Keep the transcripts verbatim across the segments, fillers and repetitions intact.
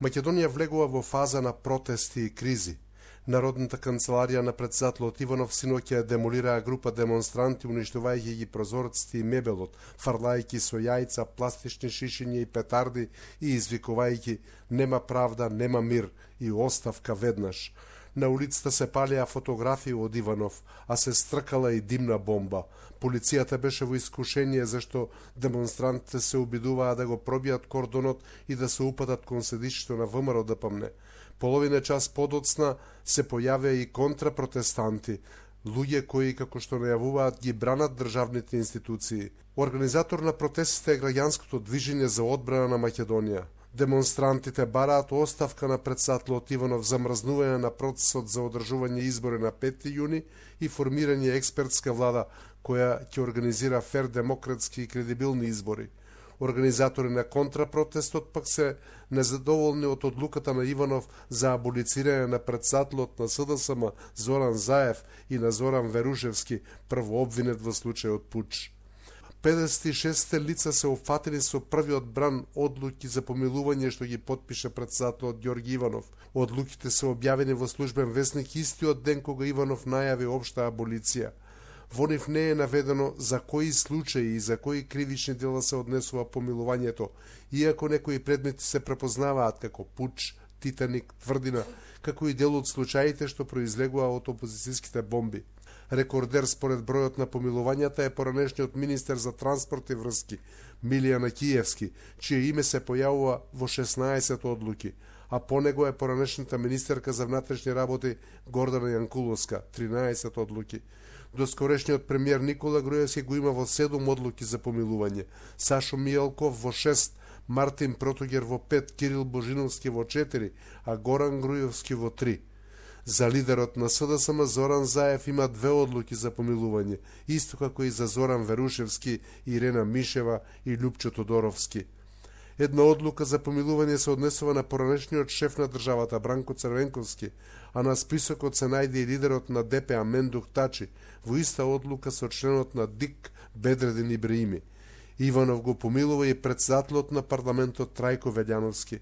Македонија влегува во фаза на протести и кризи. Народната канцеларија на претседателот Иванов синоќа демолираа група демонстранти, уништувајќи ги прозорците и мебелот, фрлајќи со јајца, пластични шишиња и петарди и извикувајќи "Нема правда, нема мир" и "Оставка веднаш". На улицата се палеа фотографии од Иванов, а се стркала и димна бомба. Полицијата беше во искушение зашто демонстрантите се обидуваа да го пробијат кордонот и да се упатат кон седишето на ВМРО ДПМН. Половина час подоцна се појавија и контрапротестанти, луѓе кои, како што најавуваат, ги бранат државните институции. Организатор на протестите е граѓанското движење за одбрана на Македонија. Демонстрантите бараат оставка на претседателот Иванов, замрзнување на процесот за одржување избори на петти јуни и формирање експертска влада која ќе организира фер, демократски и кредибилни избори. Организатори на контрапротестот пак се незадоволни од одлуката на Иванов за аболицирање на претседателот на СДСМ Зоран Заев и на Зоран Верушевски, прво обвинет во случајот пуч. педесет и шест лица се опфатени со првиот бран одлуки за помилување што ги потпише претседателот Ѓорги Иванов. Одлуките се објавени во службен весник истиот ден кога Иванов најави општа аболиција. Во нив не е наведено за кои случаи и за кои кривични дела се однесува помилувањето, иако некои предмети се препознаваат како пуч, Титаник, Тврдина, како и дел од случаите што произлегува од опозицијските бомби. Рекордер според бројот на помилувањата е поранешниот министер за транспорт и врски Милијана Киевски, чие име се појавува во шеснаесет одлуки, а по него е поранешната министерка за внатрешни работи Гордана Јанкуловска, тринаесет одлуки. Доскорешниот премиер Никола Груевски го има во седум одлуки за помилување, Сашо Мијалков во шест, Мартин Протогер во пет, Кирил Божиновски во четири, а Горан Груевски во три. За лидерот на СДСМ Зоран Заев има две одлуки за помилување, исто како и за Зоран Верушевски, Ирена Мишева и Љупчо Тодоровски. Една одлука за помилување се однесува на поранешниот шеф на државата Бранко Црвенковски, а на списокот се најде и лидерот на ДПА Мендух Тачи, во иста одлука со членот на ДИК Бедредин Ибраими. Иванов го помилува и претседателот на парламентот Трајко Велјановски.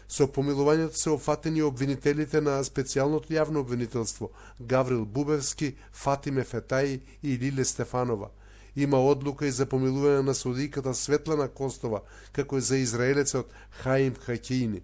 Со помилувањето се опфатени обвинителите на специјалното јавно обвинителство Гаврил Бубевски, Фатиме Фетаи и Лиле Стефанова. Има одлука и за помилување на судијката Светлана Костова, како и за израелецот Хаим Хакеини.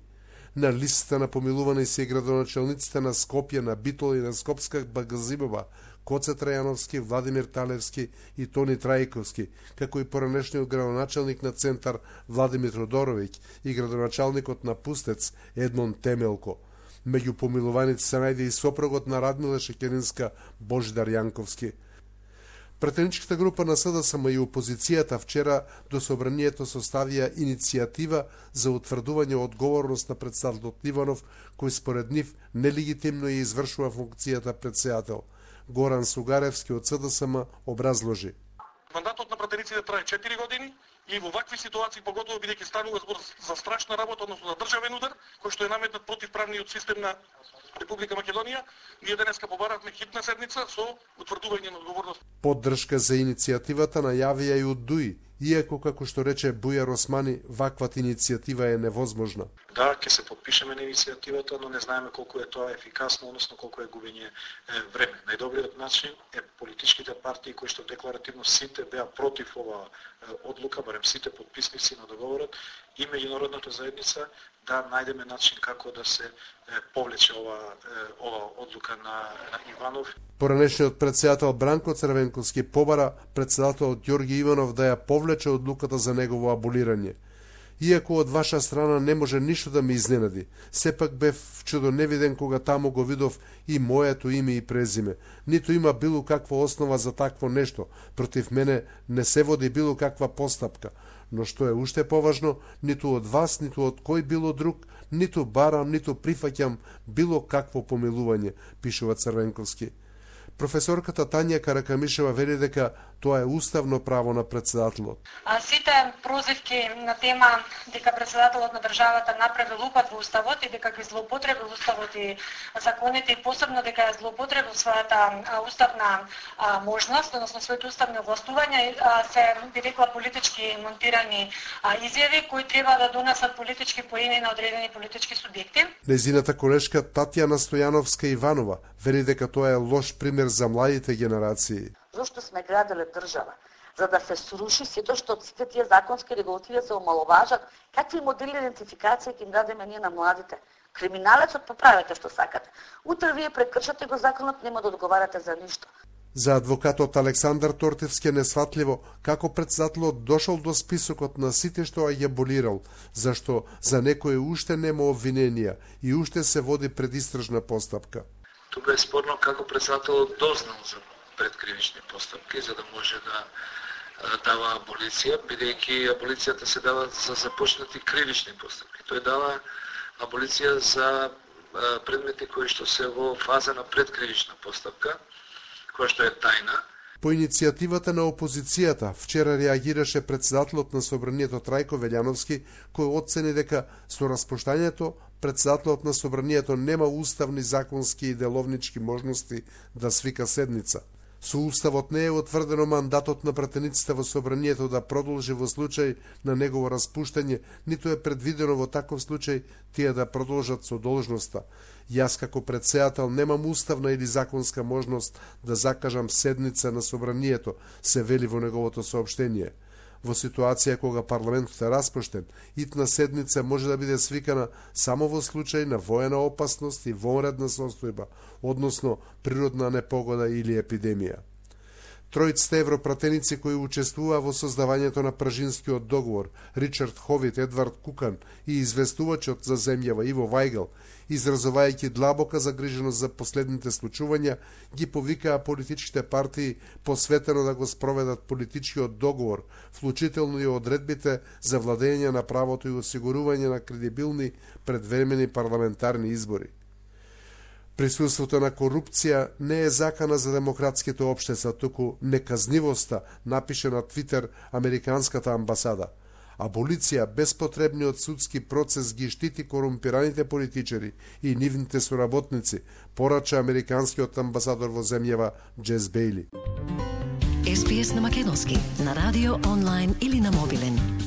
На листата на помилувани се и градоначалниците на Скопје, на Битола и на Скопска Багазибова, Коце Трајановски, Владимир Талевски и Тони Трајковски, како и поранешниот градоначалник на Центар Владимир Тодоровиќ и градоначалникот на Пустец Едмон Темелко. Меѓу помилуваните се најде и сопругот на Радмила Шекеринска Божидар Јанковски. Претеничката група на СДСМ и опозицијата вчера до собранието составија иницијатива за утврдување одговорност на претседателот Иванов, кој според нив нелегитимно ја извршува функцијата претседател. Горан Сугаревски од СДСМ образложи. Мандатот на пратениците трае четири години и во вакви ситуации, поготово бидејќи станува збор за страшна работа, односно за државен удар, кој што е наметнат против правниот систем на Република Македонија, ние денеска побаравме хитна седница со утврдување на одговорност. Поддршка за иницијативата најавија и од ДУИ, иако, како што рече Бујар Османи, ваквата иницијатива е невозможна. Да, ќе се подпишеме на иницијативата, но не знаеме колку е тоа ефикасно, односно колку е губење време. Најдобриот начин е политичките партии кои што декларативно сите беа против оваа одлука, барем сите подписници на договорот, и меѓународната заедница да најдеме начин како да се повлече ова ова одлука на, на Иванов. Поранешниот претседател Бранко Црвенковски побара претседателот Ѓорги Иванов да ја повлече одлуката за негово аболирање. Иако од ваша страна не може ништо да ме изненади, сепак бев чудоневиден кога таму го видов и моето име и презиме. Ниту има било каква основа за такво нешто, против мене не се води било каква постапка, но што е уште поважно, ниту од вас, ниту од кој било друг, ниту барам, ниту прифаќам било какво помилување, пишува Црвенковски. Професорката Тања Каракамишева вели дека Тоа е уставно право на председателот. А сите прозивки на тема дека председателот на државата направил упад во уставот и дека ги злоупотребил уставот и законите и посебно дека ја злоупотребил својата уставна а, можност, односно своите уставни овластувања, се би рекла политички монтирани а, изјави кои треба да донесат политички поени на одредени политички субјекти. Незината колешка Татјана Стојановска Иванова вели дека тоа е лош пример за младите генерации. Зошто сме градиле држава? За да се сруши сето што сите тие законски регулативи се омаловажат, какви модели идентификација ќе им дадеме ние на младите? Криминалецот поправете што сакате. Утре вие прекршате го законот, нема да одговарате за ништо. За адвокатот Александар Тортевски е несватливо како председателот дошол до списокот на сите што ја аболирал, зашто за некои уште нема обвиненија и уште се води предистражна постапка. Тука е спорно како председателот дознал за предкривични постапки, за да може да дава аболиција, бидејќи аболицијата се дава за започнати кривични постапки. Тој дава аболиција за предмети кои што се во фаза на предкривична постапка, која што е тајна. По иницијативата на опозицијата, вчера реагираше председателот на Собранието Трајко Велјановски, кој оцени дека со распуштањето председателот на Собранието нема уставни, законски и деловнички можности да свика седница. Со уставот не е утврдено мандатот на пратениците во Собранието да продолжи во случај на негово распуштање, ниту е предвидено во таков случај тие да продолжат со должноста. Јас како председател немам уставна или законска можност да закажам седница на Собранието, се вели во неговото соопштение. Во ситуација кога парламентот е распуштен, итна седница може да биде свикана само во случај на воена опасност и вонредна состојба, односно природна непогода или епидемија. Тројците европратеници кои учествуваа во создавањето на Пражинскиот договор, Ричард Ховит, Едвард Кукан и известувачот за земјава Иво Вајгел, изразувајќи длабока загриженост за последните случувања, ги повикаа политичките партии посветено да го спроведат политичкиот договор, вклучително и одредбите за владење на правото и осигурување на кредибилни предвремени парламентарни избори. Присуството на корупција не е закана за демократските општества, туку неказнивоста, напише на Твитер Американската амбасада. Аболиција без потребниот судски процес ги штити корумпираните политичари и нивните соработници, порача американскиот амбасадор во земјава Джес Бејли. Ес Би Ес на македонски, на радио, онлайн или на мобилен.